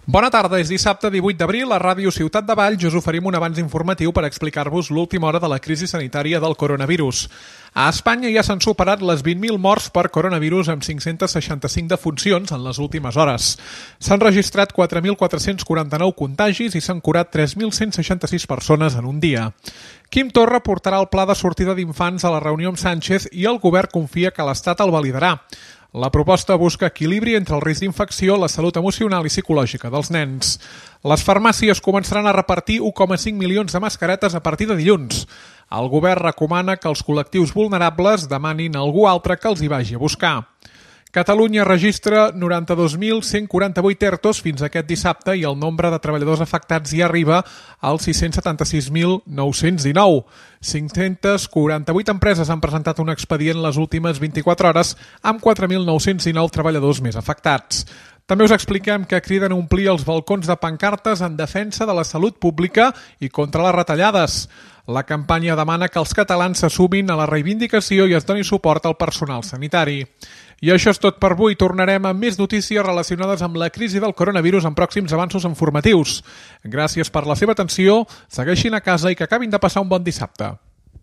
Bona tarda, és dissabte 18 d'abril. A Ràdio Ciutat de Valls us oferim un avanç informatiu per explicar-vos l'última hora de la crisi sanitària del coronavirus. A Espanya ja s'han superat les 20.000 morts per coronavirus amb 565 defuncions en les últimes hores. S'han registrat 4.449 contagis i s'han curat 3.166 persones en un dia. Quim Torra portarà el pla de sortida d'infants a la reunió amb Sánchez i el govern confia que l'Estat el validarà. La proposta busca equilibri entre el risc d'infecció, la salut emocional i psicològica dels nens. Les farmàcies començaran a repartir 1,5 milions de mascaretes a partir de dilluns. El govern recomana que els col·lectius vulnerables demanin a algú altre que els hi vagi a buscar. Catalunya registra 92.148 ERTOs fins aquest dissabte i el nombre de treballadors afectats ja arriba als 676.919. 548 empreses han presentat un expedient les últimes 24 hores amb 4.919 treballadors més afectats. També us expliquem que criden a omplir els balcons de pancartes en defensa de la salut pública i contra les retallades. La campanya demana que els catalans s'assumin a la reivindicació i es doni suport al personal sanitari. I això és tot per avui. Tornarem amb més notícies relacionades amb la crisi del coronavirus en pròxims avanços informatius. Gràcies per la seva atenció, segueixin a casa i que acabin de passar un bon dissabte.